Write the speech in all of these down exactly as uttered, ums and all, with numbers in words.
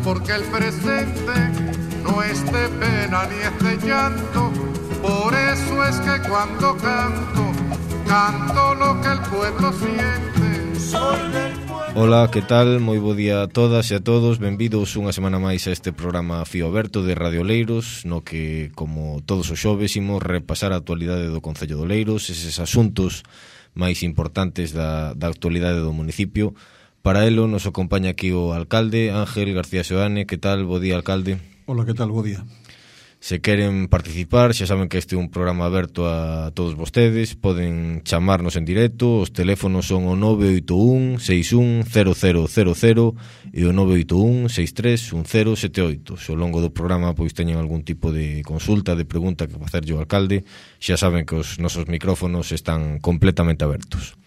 porque el presente no es de pena ni es de llanto. Por eso es que cuando canto, canto lo que el pueblo siente. Soy del pueblo. Ola, que tal? Moi bo día a todas e a todos. Benvidos unha semana máis a este programa Fío Aberto de Radio Oleiros, no que, como todos os xoves, imos repasar a actualidade do Concello de Oleiros, eses asuntos máis importantes da, da actualidade do municipio. Para elo nos acompaña aquí o alcalde Ángel García Seoane. Que tal? Bo día, alcalde. Hola, que tal? Bo día. Se queren participar, xa saben que este é un programa aberto a todos vostedes. Poden chamarnos en directo. Os teléfonos son o nove oito un seis un cero cero cero cero e o nove oito un seis tres un cero sete oito. Se ao longo do programa pois teñen algún tipo de consulta, de pregunta que facerlle ao alcalde, xa saben que os nosos micrófonos están completamente abertos.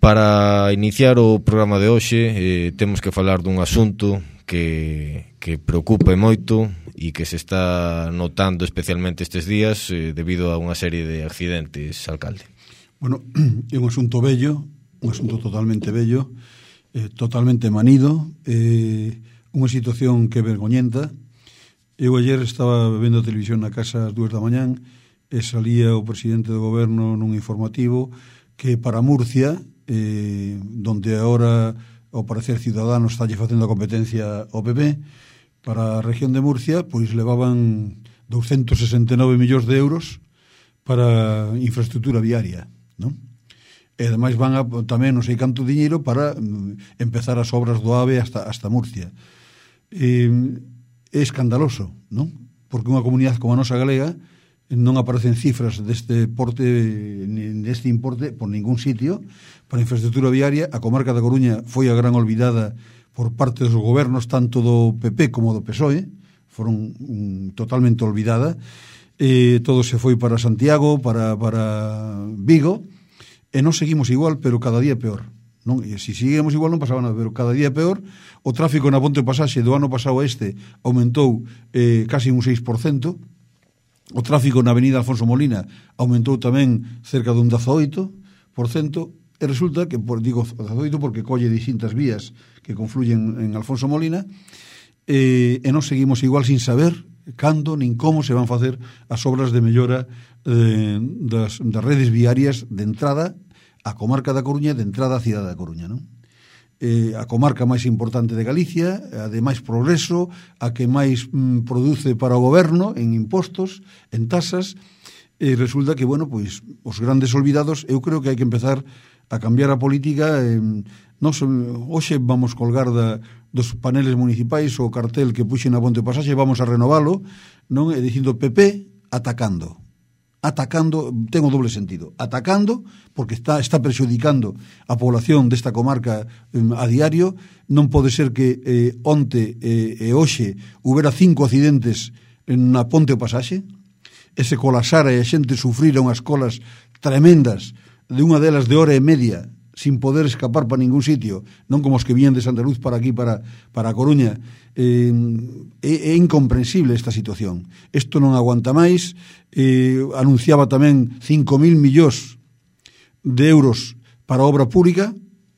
Para iniciar o programa de hoxe, eh, temos que falar dun asunto que, que preocupa moito e que se está notando especialmente estes días eh, debido a unha serie de accidentes, alcalde. Bueno, é un asunto bello, un asunto totalmente bello, eh, totalmente manido, eh, unha situación que é vergoñenta. Eu ayer estaba vendo a televisión na casa ás dúas da mañán e salía o presidente do goberno nun informativo que para Murcia, eh, donde agora ao parecer Ciudadanos está lle facendo a competencia ao P P, para a región de Murcia, pois levaban doscientos sesenta e nove millóns de euros para infraestructura viaria, non? E ademais van a, tamén non sei canto diñeiro para mm, empezar as obras do AVE hasta, hasta Murcia. E, é escandaloso, non? Porque unha comunidade como a nosa galega non aparecen cifras deste porte, deste importe por ningún sitio para infraestructura viaria. A comarca da Coruña foi a gran olvidada por parte dos gobernos tanto do P P como do P S O E, foron um, totalmente olvidada. Eh, todo se foi para Santiago, para, para Vigo, e non seguimos igual, pero cada día peor. Non? E se seguimos igual non pasaba nada, pero cada día peor. O tráfico na Ponte Pasaxe do ano pasado a este aumentou eh, casi un seis por cento. O tráfico na avenida Alfonso Molina aumentou tamén cerca dun dezaoito por cento. E resulta que, por, digo dezaoito porque colle distintas vías que confluyen en Alfonso Molina, e, e non seguimos igual sin saber cando nin como se van facer as obras de mellora eh, das, das redes viarias de entrada á comarca da Coruña, de entrada á cidade da Coruña, non? Eh, a comarca máis importante de Galicia, a de máis progreso, a que máis mm, produce para o goberno en impostos, en tasas, e resulta que, bueno, pois os grandes olvidados, eu creo que hai que empezar a cambiar a política. Eh, nos, hoxe vamos colgar da, dos paneles municipais o cartel que puxen na Ponte Pasaxe, vamos a renovalo, non? E dicindo P P atacando. Atacando, ten o doble sentido. Atacando, porque está, está perxudicando a población desta comarca eh, a diario. Non pode ser que eh, onte eh, e hoxe houbera cinco accidentes na Ponte Pasaxe, e se colasara e a xente sufrira unhas colas tremendas, de unha delas de hora e media, sin poder escapar para ningún sitio, non como os que vían de Santa Luz para aquí, para, para a Coruña. Eh, é, é incomprensible esta situación. Isto non aguanta máis. Eh, anunciaba tamén cinco mil millóns de euros para obra pública.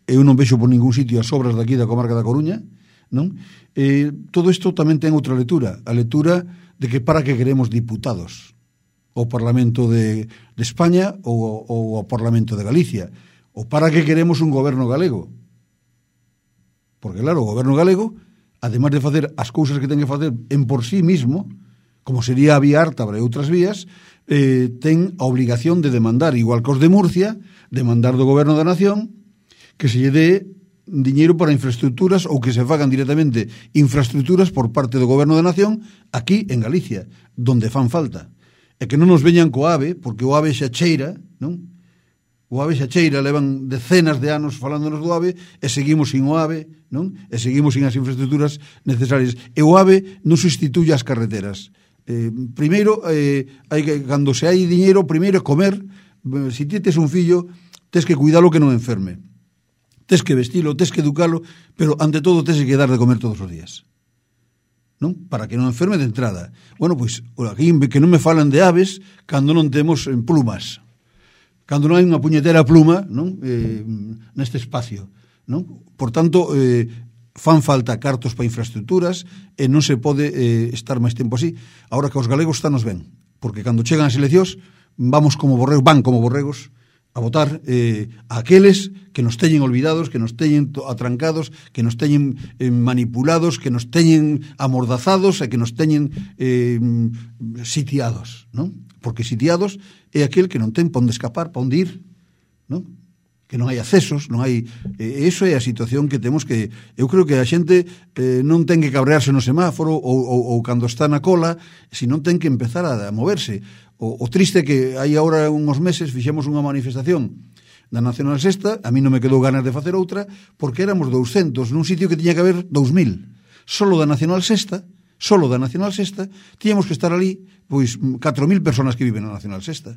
Eu non vexo por ningún sitio as obras daqui da comarca da Coruña, non? Eh, todo isto tamén ten outra lectura, a lectura de que para que queremos diputados ao Parlamento de, de España ou, ou ao Parlamento de Galicia, ou para que queremos un goberno galego. Porque claro, o goberno galego, además de facer as cousas que ten que facer en por sí mismo, como sería a vía Ártabra e outras vías, eh, ten a obligación de demandar, igual que os de Murcia, demandar do goberno da nación que se lle dé diñeiro para infraestructuras ou que se fagan directamente infraestructuras por parte do goberno da nación aquí en Galicia, donde fan falta. E que non nos veñan co AVE, porque o AVE xa cheira, non? O AVE xa cheira, levan decenas de anos falándonos do AVE e seguimos sin o AVE, non? E seguimos sin as infraestructuras necesarias. E o AVE non sustituye as carreteras. Eh, primeiro, eh, hai que, cando se hai diñeiro, primeiro é comer. Se ti tes un fillo, tes que cuidalo que non enferme. Tes que vestilo, tes que educalo, pero ante todo tes que dar de comer todos os días, non? Para que non enferme de entrada. Bueno, pois, aquí que non me falan de aves cando non temos en plumas, cando non hai unha puñetera pluma, non? Eh, neste espacio, non? Por tanto, eh, fan falta cartos para infraestructuras e non se pode eh, estar máis tempo así. Ahora que os galegos están nos ben, porque cando chegan as eleccións vamos como borregos, van como borregos a votar eh, a aqueles que nos teñen olvidados, que nos teñen atrancados, que nos teñen eh, manipulados, que nos teñen amordazados e que nos teñen eh, sitiados, non? Porque sitiados é aquel que non ten pa onde escapar, pa onde ir, non? Que non hai accesos, non hai... Eh, eso é a situación que temos que... Eu creo que a xente eh, non ten que cabrearse no semáforo ou, ou, ou cando está na cola, senón ten que empezar a, a moverse. O, o triste que hai agora uns meses fixemos unha manifestación da Nacional Sexta, a mí non me quedou ganas de facer outra, porque éramos douscentos nun sitio que tiña que haber dous mil. Solo da Nacional Sexta, solo da Nacional Sexta, tiñamos que estar ali, pois, catro mil personas que viven na Nacional Sexta.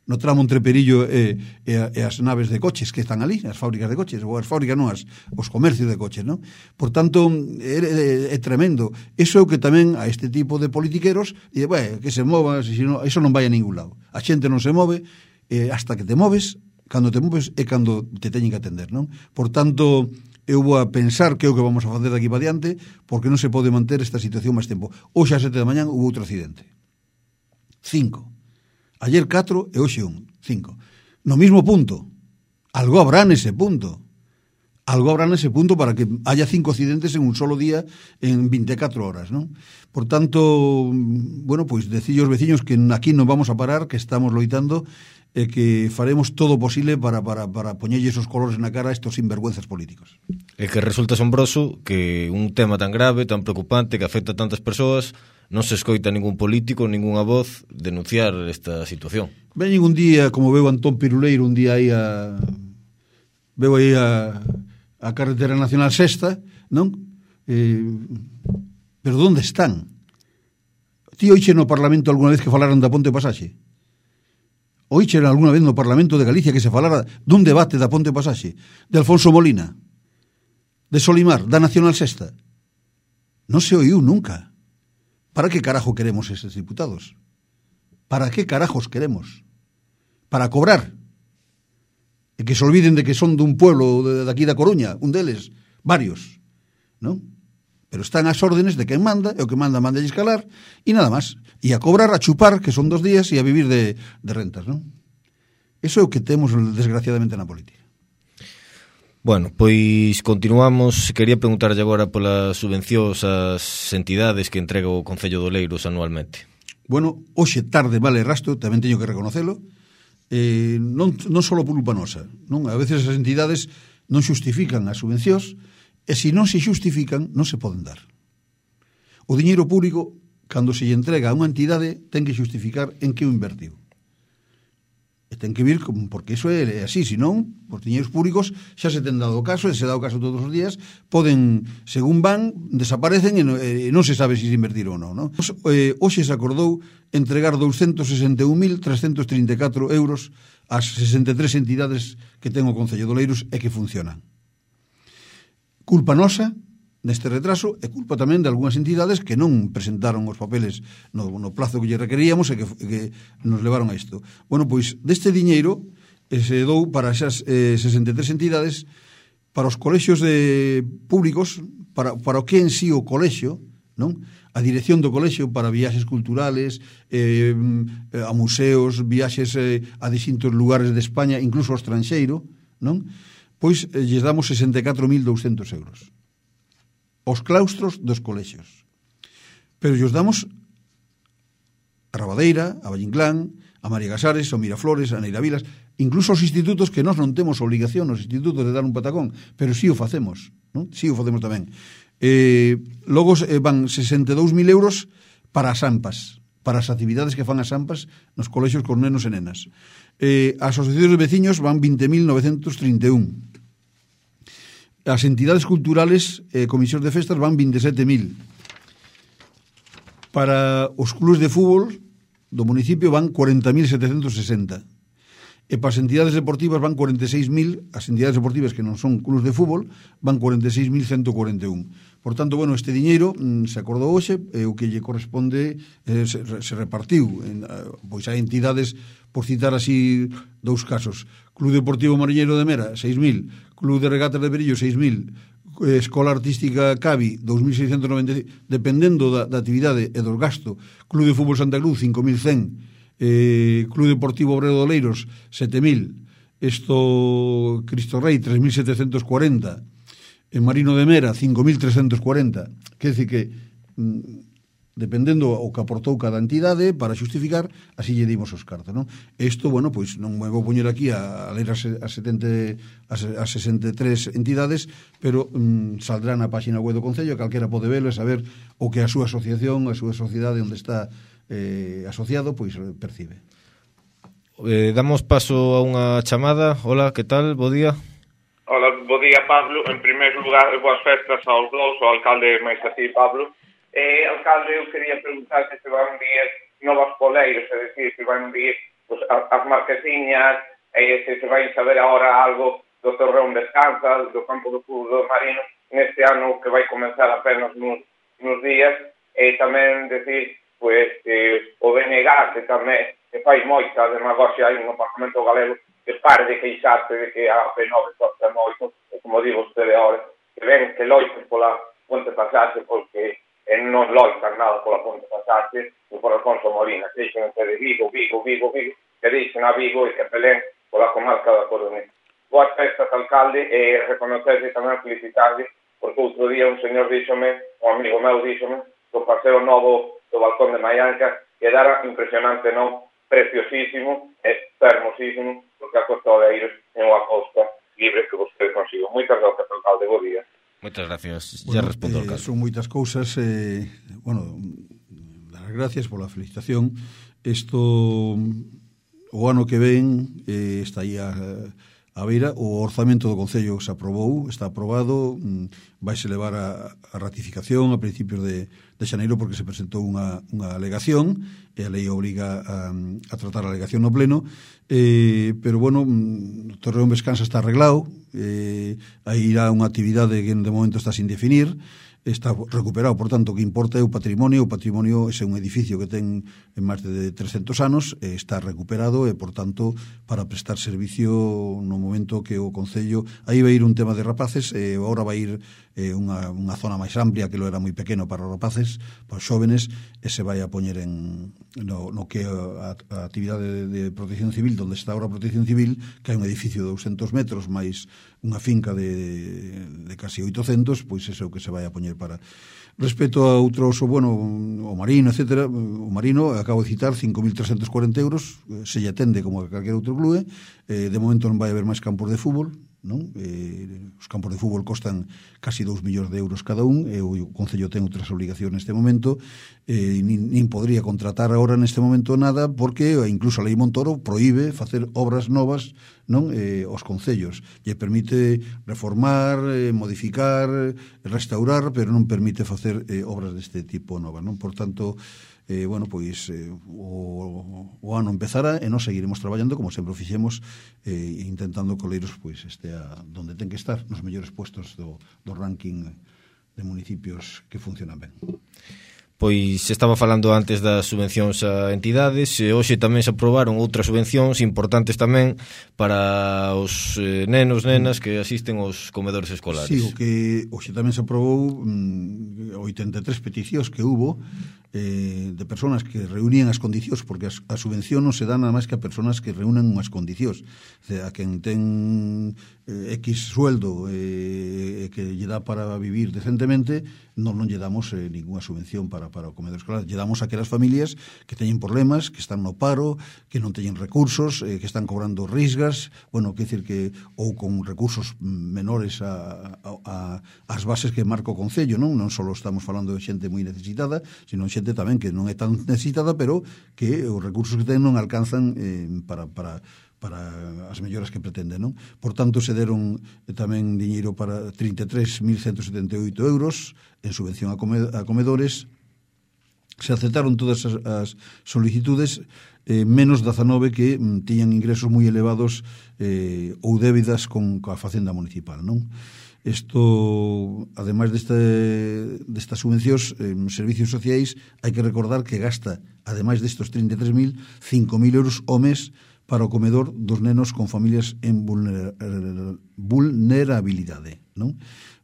No tramo entre Perillo e, e, e as naves de coches que están ali, as fábricas de coches, ou as fábricas non, as, os comercios de coches, non? Por tanto, é, é, é tremendo. Eso é o que tamén a este tipo de politiqueros, e, bueno, que se mova, se no, eso non vai a ningún lado. A xente non se move, eh, hasta que te moves, cando te moves é cando te teñen que atender, non? Por tanto, eu vou a pensar que é o que vamos a facer daqui para diante, porque non se pode manter esta situación máis tempo. Hoxe a sete da mañán hubo outro accidente. Cinco. Ayer catro e hoxe un, cinco. No mismo punto. Algo habrá nese punto. Algo habrá nese punto para que haya cinco accidentes en un solo día en veinticuatro horas, ¿no? Por tanto, bueno, pois pues, decillos veciños que aquí non vamos a parar, que estamos loitando e que faremos todo o posible para, para, para poñerlle esos colores na cara a estos sinvergüenzas políticos. É que resulta asombroso que un tema tan grave, tan preocupante, que afecta a tantas persoas, non se escoita ningún político, ningunha voz denunciar esta situación. Veñen un día, como veo Antón Piruleiro, un día aí a... veo aí a, a carretera nacional sexta, non? Eh, pero onde están? Ti oiche no Parlamento alguna vez que falaran da Ponte Pasaxe? Oiche alguna vez no Parlamento de Galicia que se falara dun debate da Ponte Pasaxe? De Alfonso Molina? De Solimar? Da Nacional Sexta? Non se oiu nunca. ¿Para qué carajo queremos esos diputados? ¿Para qué carajos queremos? Para cobrar. E que se olviden de que son dun pueblo de, de aquí da Coruña, un deles, varios, ¿no? Pero están ás órdenes de quen manda, e o que manda manda a escalar, e nada máis. E a cobrar, a chupar, que son dos días, e a vivir de, de rentas, ¿no? Eso é o que temos, desgraciadamente, na política. Bueno, pois continuamos. Quería preguntarlle agora polas subvencións ás entidades que entrega o Concello de Oleiros anualmente. Bueno, hoxe tarde vale rastro, tamén teño que reconocelo, eh, non, non só por culpa nosa, non? A veces as entidades non xustifican as subvencións, e se non se xustifican, non se poden dar. O diñeiro público, cando se lle entrega a unha entidade, ten que xustificar en que o invertiu. E ten que vir, porque iso é así, senón, os diñeiros públicos xa se ten dado o caso, e se dá o caso todos os días, poden, según van, desaparecen e non, e non se sabe se se invertiron ou non, non? Eh, hoxe se acordou entregar doscientos sesenta e un mil trescentos trinta e catro euros ás sesenta e tres entidades que ten o Concello de Oleiros e que funcionan. Culpa nosa neste retraso é culpa tamén de algunhas entidades que non presentaron os papeles no, no plazo que lle requeríamos e que, que nos levaron a isto. Bueno, pois deste diñeiro eh, se dou para esas eh, sesenta e tres entidades, para os colexios de públicos, para, para o que en sí o colexio, non? A dirección do colexio para viaxes culturales, eh, a museos, viaxes eh, a distintos lugares de España, incluso ao estranxeiro, non? Pois eh, lles damos sesenta e catro mil douscentos euros. Os claustros dos colexios. Pero llos damos a Rabadeira, a Vallinclán, a María Casares, a Miraflores, a Neiravilas, incluso os institutos que nós non temos obligación, os institutos de dar un patacón, pero sí o facemos, non? Sí o facemos tamén. Eh, logo eh, van sesenta e dous mil euros para as AMPAs, para as actividades que fan as AMPAs nos colexios con nenos e nenas. Eh, as asociacións de veciños van vinte mil novecentos trinta e un. As entidades culturales e eh, comisións de festas van veintisiete mil. Para os clubes de fútbol do municipio van cuarenta mil setecientos sesenta. E para as entidades deportivas van cuarenta e seis mil, as entidades deportivas que non son clubes de fútbol van cuarenta e seis mil ciento cuarenta e un. Por tanto, bueno, este diñeiro mm, se acordou hoxe, e o que lle corresponde eh, se, se repartiu. En, pois hai entidades, por citar así dous casos, Club Deportivo Mariñeiro de Mera, seis mil, Club de Regatas de Perillo, seis mil, Escola Artística Cavi, dous mil seiscentos noventa e cinco, dependendo da, da actividade e do gasto. Club de Fútbol Santa Cruz, cinco mil cen. Eh, Club Deportivo Obrero de Oleiros, sete mil. Esto, Cristo Rei, tres mil setecientos cuarenta. En Marino de Mera, cinco mil trescientos cuarenta. Quer dizer que, mm, dependendo o que aportou cada entidade, para xustificar, así lle dimos os cartos, non? Isto, bueno, pois non me vou poñer aquí a, a ler as, as, setenta, as, as sesenta e tres entidades, pero mm, saldrá na página web do Concello, calquera pode velo e saber o que a súa asociación, a súa sociedade onde está eh, asociado, pois percibe. Eh, damos paso a unha chamada. Hola, que tal? Bo día. Hola, bo día, Pablo. En primeiro lugar, boas festas aos dous, ao alcalde máis a ti, Pablo. Eh, alcalde, eu quería preguntar se se van vir novas poleiras, é dicir, se van vir pues, as marquesiñas, e se se vai saber agora algo do Torreón Descansa, do campo do fútbol do Marino, neste ano que vai comenzar apenas nos, nos días, e tamén decir, pues, eh, o B N G, que tamén que fai moita demagoxia aí no Parlamento Galego, que pare de queixarse de que a P nove costa moito, e como digo usted agora, que ven que loiten pola ponte pasarse, porque e non loitan nada pola ponte pasarse e por Alfonso Molina, que dixen de Vigo, Vigo, Vigo, Vigo, que dixen a Vigo e que pelén pola comarca da Coruña. Boas festas, alcalde, e reconocerse tamén felicitarle, porque outro día un señor díxome, un amigo meu díxome, que o paseo novo do balcón de Maianca quedara impresionante, non? Preciosísimo, é hermosísimo, porque a Costa de Eiros é unha costa libre que vostede consigo. Moitas gracias, alcalde, bo día. Moitas gracias. Bueno, ya respondo eh, ao caso. Son moitas cousas, eh, bueno, dar as gracias pola felicitación. Isto, o ano que ven, eh, está aí a, a beira, o orzamento do Concello se aprobou, está aprobado, vaise levar a, a ratificación a principios de, de xaneiro, porque se presentou unha, unha alegación, e a lei obriga a, a tratar a alegación no pleno, eh, pero, bueno, o Torreón Descansa está arreglado, eh, aí irá unha actividade que de momento está sin definir, está recuperado, por tanto, que importa é o patrimonio. O patrimonio é un edificio que ten en máis de trescentos anos, e está recuperado e, por tanto, para prestar servicio no momento que o Concello... Aí vai ir un tema de rapaces, e agora vai ir eh, unha, unha zona máis amplia, que lo era moi pequeno para os rapaces, para os xóvenes, e se vai a poñer en no, no que a, a actividade de, de protección civil, donde está ahora a protección civil, que hai un edificio de douscentos metros, máis unha finca de, de casi oitocentos, pois é o que se vai a poñer para... Respecto a outros, bueno, o Marino, etcétera, o Marino, acabo de citar, cinco mil trescentos cuarenta euros, se lle atende como a calquer outro clube, eh, de momento non vai haber máis campos de fútbol, non? Eh, os campos de fútbol costan casi dous millóns de euros cada un, e o Concello ten outras obligacións neste momento, eh, nin, nin podría contratar agora neste momento nada, porque incluso a Lei Montoro proíbe facer obras novas, non, eh, os concellos. Lle permite reformar, eh, modificar, restaurar, pero non permite facer eh, obras deste tipo novas, non? Por tanto, eh, bueno, pois eh, o, o ano empezará e nós seguiremos traballando como sempre o fixemos, eh, intentando que Oleiros pois estea donde ten que estar, nos mellores puestos do, do ranking de municipios que funcionan ben. Pois estaba falando antes das subvencións a entidades, e hoxe tamén se aprobaron outras subvencións importantes tamén para os eh, nenos, nenas que asisten aos comedores escolares. Sí, o que hoxe tamén se aprobou mm, oitenta e tres peticións que hubo eh, de personas que reunían as condicións, porque as, a subvención non se dá nada máis que a personas que reúnen unhas condicións. O sea, a quen ten eh, X sueldo eh, que lle dá para vivir decentemente, non non lle damos eh, ninguna subvención para, para o comedor escolar. Lle damos a aquelas familias que teñen problemas, que están no paro, que non teñen recursos, eh, que están cobrando risgas, bueno, que decir que ou con recursos menores a, a, a as bases que marca o Concello, non? Non só estamos falando de xente moi necesitada, sino xente tamén que non é tan necesitada, pero que os recursos que ten non alcanzan eh, para... para para as melloras que pretenden, non? Por tanto, se deron tamén diñeiro para trinta e tres mil ciento setenta e oito euros en subvención a, come, a comedores. Se aceptaron todas as, as solicitudes, eh, menos dezanove que mm, tiñan ingresos moi elevados eh, ou débidas con, con a facenda municipal, non? Isto, ademais deste, destas subvencións, eh, servicios sociais, hai que recordar que gasta, ademais destos trinta e tres mil, cinco mil euros ao mes para o comedor dos nenos con familias en vulner, vulnerabilidade, non?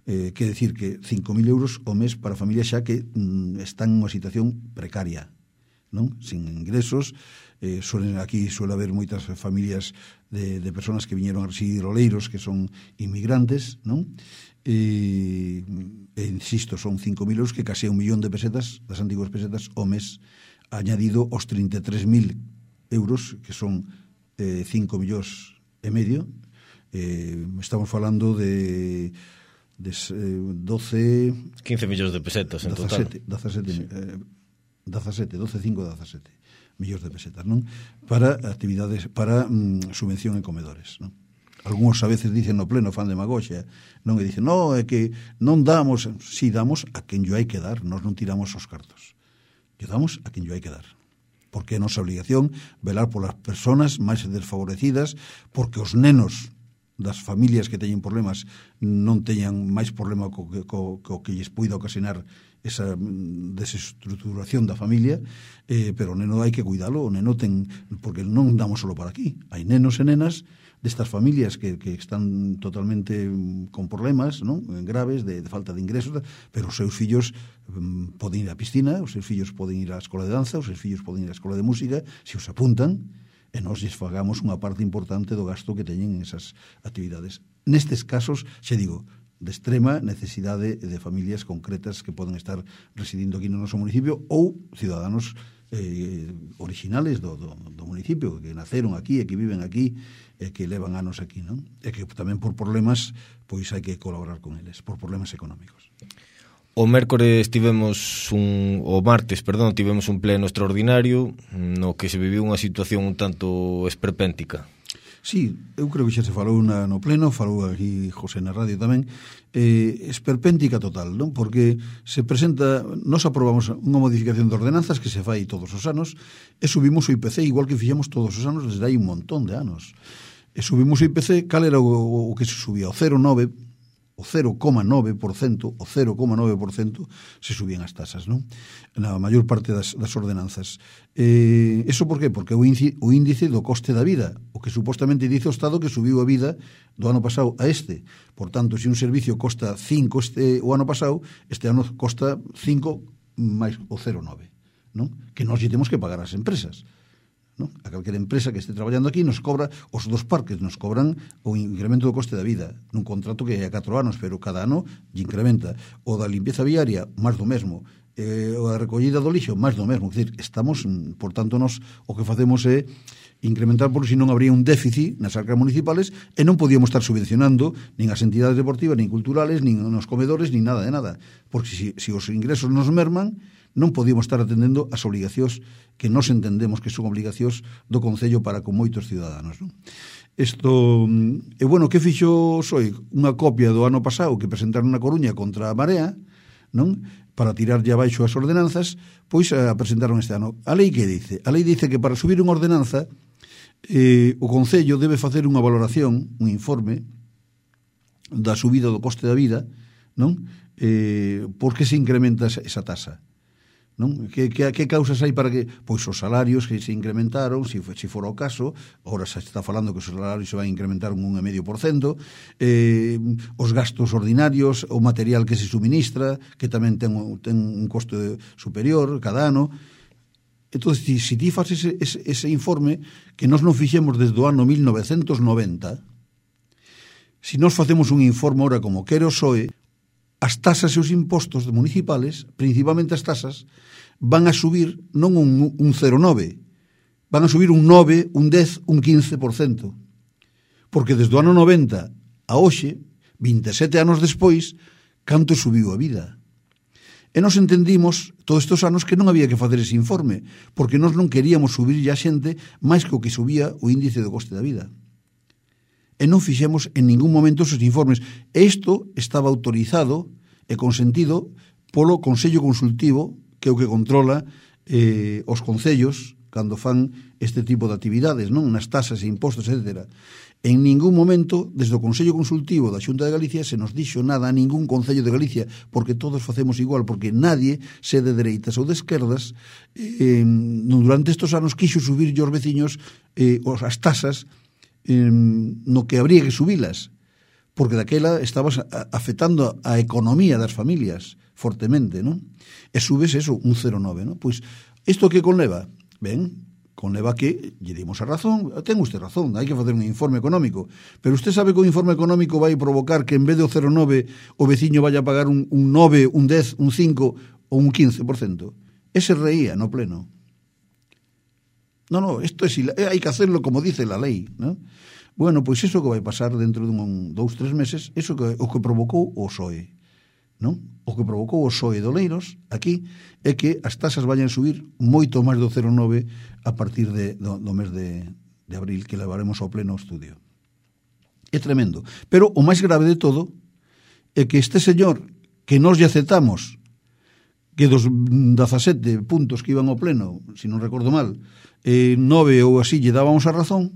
Eh, quer decir que cinco mil euros ao mes para familias xa que mm, están en unha situación precaria, non? Sin ingresos. Eh, suelen, aquí suele haber moitas familias de, de personas que viñeron a residir oleiros, que son inmigrantes, non? E, e insisto, son cinco mil euros, que case un millón de pesetas, das antiguas pesetas, ao mes, añadido aos trinta e tres mil euros, que son eh, cinco millóns e medio. Eh, estamos falando de... de eh, doce... quince millóns de pesetas en dezasete, total. dezasete, sí. eh, dezasete, doce, cinco, dezasete millóns de pesetas, non? Para actividades, para mm, subvención en comedores, non? Algúns a veces dicen no pleno, fan demagoxia, non? E dicen, no, é que non damos, si damos a quen yo hai que dar, nós non tiramos os cartos. Yo damos a quen yo hai que dar. Porque é nosa obligación velar polas persoas máis desfavorecidas, porque os nenos das familias que teñen problemas non teñan máis problema co que, co, co que lles poida ocasionar esa desestructuración da familia, eh, pero o neno hai que cuidalo, o neno ten, porque non damos solo para aquí, hai nenos e nenas destas familias que, que están totalmente con problemas, non? Graves, de, de falta de ingresos, pero os seus fillos um, poden ir á piscina, os seus fillos poden ir á escola de danza, os seus fillos poden ir á escola de música, se os apuntan, e nós lles fagamos unha parte importante do gasto que teñen en esas actividades. Nestes casos, xe digo, de extrema necesidade de familias concretas que poden estar residindo aquí no noso municipio ou ciudadanos eh, originales do, do, do municipio, que naceron aquí e que viven aquí e que levan anos aquí, non? E que tamén por problemas pois hai que colaborar con eles, por problemas económicos. O mércores tivemos un, o martes, perdón, tivemos un pleno extraordinario no que se viviu unha situación un tanto esperpéntica. Sí, eu creo que xa se falou na, no pleno, falou aquí José na radio tamén, eh, esperpéntica total, non? Porque se presenta, nos aprobamos unha modificación de ordenanzas que se fai todos os anos e subimos o I P C igual que fixemos todos os anos desde hai un montón de anos. E subimos o I P C, cal era o, o que se subía? O cero coma nove por cento, o cero coma nove por cento, o cero coma nove por cento se subían as tasas, non? Na maior parte das, das ordenanzas. Eh, eso por qué? Porque o índice, o índice do coste da vida, o que supostamente dice o Estado que subiu a vida do ano pasado a este. Por tanto, se un servicio costa cinco este o ano pasado, este ano costa cinco máis o cero coma nove, non? Que nós lle temos que pagar ás empresas, non? A calquera empresa que este traballando aquí nos cobra, os dos parques nos cobran o incremento do coste da vida nun contrato que é a catro anos, pero cada ano lle incrementa. O da limpieza viaria, máis do mesmo, eh, o da recollida do lixo, máis do mesmo. É dicir, estamos, por tanto, nos o que facemos é incrementar, porque senón habría un déficit nas arcas municipales e non podíamos estar subvencionando nin as entidades deportivas, nin culturales, nin nos comedores, nin nada de nada, porque se si, si os ingresos nos merman, non podíamos estar atendendo as obligacións que nos entendemos que son obligacións do Concello para con moitos ciudadanos, non? Isto, e bueno, que fixo Soi? Unha copia do ano pasado que presentaron na Coruña contra a Marea, non? Para tirarlle abaixo as ordenanzas, pois a presentaron este ano. A lei que dice? A lei dice que para subir unha ordenanza eh, o Concello debe facer unha valoración, un informe da subida do coste da vida, non? Eh, por que se incrementa esa tasa? Non? Que, que, que causas hai para que? Pois os salarios que se incrementaron, se si, si fora o caso, agora se está falando que os salarios se van a incrementar un un e medio por cento, eh, os gastos ordinarios, o material que se suministra, que tamén ten, ten un coste superior cada ano. Entón, se si ti faz ese, ese, ese informe, que nós non fixemos desde o ano mil novecentos noventa, se si nós facemos un informe ahora como quere o P S O E, as tasas e os impostos municipales, principalmente as tasas, van a subir non un, un cero coma nove, van a subir un nove, un dez, un quince por cento. Porque desde o ano noventa a hoxe, vinte e sete anos despois, canto subiu a vida. E nos entendimos todos estes anos que non había que facer ese informe, porque nós non queríamos subir a xente máis que o que subía o índice do coste da vida. E non fixemos en ningún momento esos informes. E isto estaba autorizado e consentido polo Consello Consultivo, que é o que controla eh, os concellos cando fan este tipo de actividades, non? Nas tasas e impostos, etcétera. En ningún momento, desde o Consello Consultivo da Xunta de Galicia, se nos dixo nada a ningún Concello de Galicia, porque todos facemos igual, porque nadie, se de dereitas ou de esquerdas, eh, durante estes anos quixo subir os veciños eh, as tasas eh, no que habría que subilas, porque daquela estabas afectando a economía das familias fortemente, non? E subes eso, un cero coma nove, non? Pois, isto que conleva? Ben, conleva que lle dimos a razón, ten usted razón, hai que facer un informe económico, pero usted sabe que o informe económico vai provocar que en vez do cero coma nove o veciño vaya a pagar un, un nove, un dez, un cinco ou un quince por cento. Ese reía no pleno. No, no, isto é, hai que hacerlo como dice la lei, non? Bueno, pois iso que vai pasar dentro de un, dous, tres meses, iso que o que provocou o P S O E, non? O que provocou o P S O E de Oleiros aquí é que as tasas vayan subir moito máis do cero coma nove a partir de, do, do mes de, de abril, que levaremos ao pleno estudio. É tremendo. Pero o máis grave de todo é que este señor que nos lle aceptamos que dos dezasete puntos que iban ao pleno, se non recordo mal, eh, nove ou así lle dábamos a razón,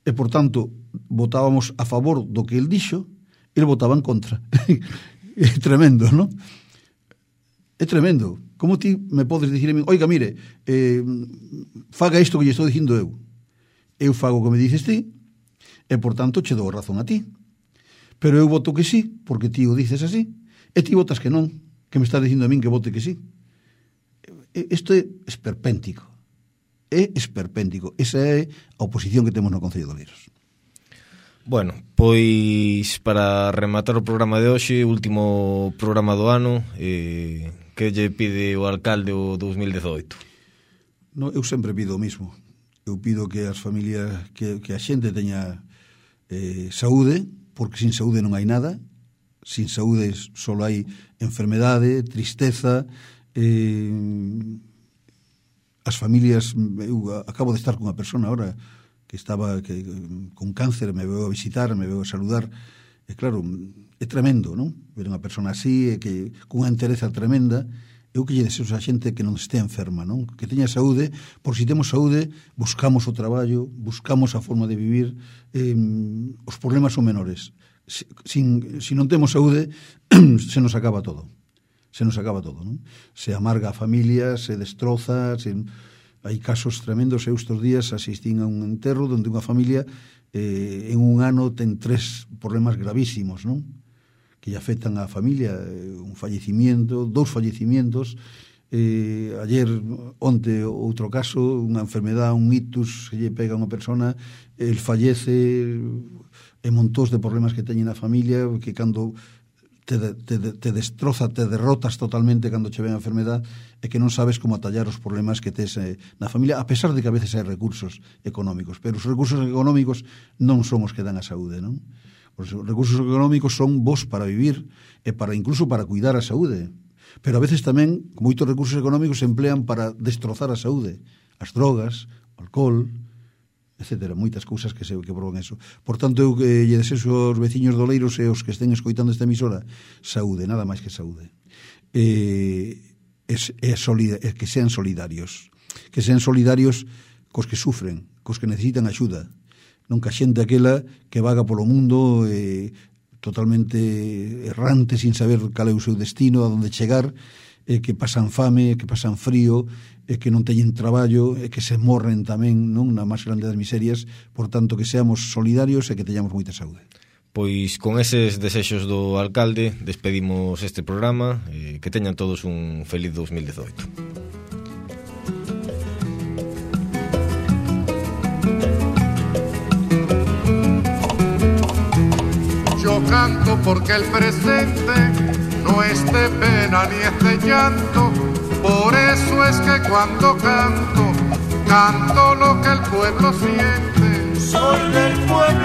e, por tanto, votábamos a favor do que el dixo, el votaba en contra. É tremendo, non? É tremendo. Como ti me podes dicir a mí, oiga, mire, eh, faga isto que lle estou dicindo eu. Eu fago o que me dices ti, e, por tanto, che dou razón a ti. Pero eu voto que sí, porque ti o dices así, e ti votas que non, que me estás dicindo a min que vote que sí. Isto é esperpéntico. É esperpéntico. Esa é a oposición que temos no Concello de Oleiros. Bueno, pois para rematar o programa de hoxe, último programa do ano, eh, que lle pide o alcalde o dos mil dezoito? No, eu sempre pido o mismo. Eu pido que as familias, que, que a xente teña eh, saúde, porque sin saúde non hai nada. Sin saúde só hai enfermedade, tristeza, eh, as familias, eu acabo de estar cunha persona ahora que estaba que, con cáncer, me veo a visitar, me veo a saludar, e claro, é tremendo, non? Ver unha persona así, e que cunha entereza tremenda, eu que lle deseo a xente que non estea enferma, non? Que teña saúde, por si temos saúde, buscamos o traballo, buscamos a forma de vivir, eh, os problemas son menores. Sin, si non temos saúde, se nos acaba todo. Se nos acaba todo, non? Se amarga a familia, se destroza, se... hai casos tremendos. Eu estes días asistín a un enterro onde unha familia eh, en un ano ten tres problemas gravísimos, non? Que lle afectan á familia, eh, un fallecimiento, dous fallecimientos, eh, ayer, onte, outro caso, unha enfermedade, un ictus, que lle pega a unha persona, el fallece, e montós de problemas que teñen a familia, que cando te, te, te destroza, te derrotas totalmente cando che ven a enfermedade, e que non sabes como atallar os problemas que tes eh, na familia, a pesar de que a veces hai recursos económicos, pero os recursos económicos non son os que dan a saúde, non? Os recursos económicos son vos para vivir e para incluso para cuidar a saúde, pero a veces tamén moitos recursos económicos se emplean para destrozar a saúde, as drogas, o alcohol, etcétera, moitas cousas que se que provocan eso. Por tanto, eu que lle desexo aos veciños de Oleiros e os que estén escoitando esta emisora saúde, nada máis que saúde. Eh, es, es solida, es que sean solidarios, que sean solidarios cos que sufren, cos que necesitan axuda, non que a xente aquela que vaga polo mundo eh, totalmente errante, sin saber cal é o seu destino, a onde chegar, eh, que pasan fame, que pasan frío, e que non teñen traballo, e que se morren tamén, non, na máis grande das miserias. Por tanto, que seamos solidarios e que teñamos moita saúde. Pois con eses desexos do alcalde despedimos este programa, eh, que teñan todos un feliz dos mil dezoito. Yo canto porque el presente no es de pena ni es de llanto. Por eso es que cuando canto, canto lo que el pueblo siente. Soy del pueblo.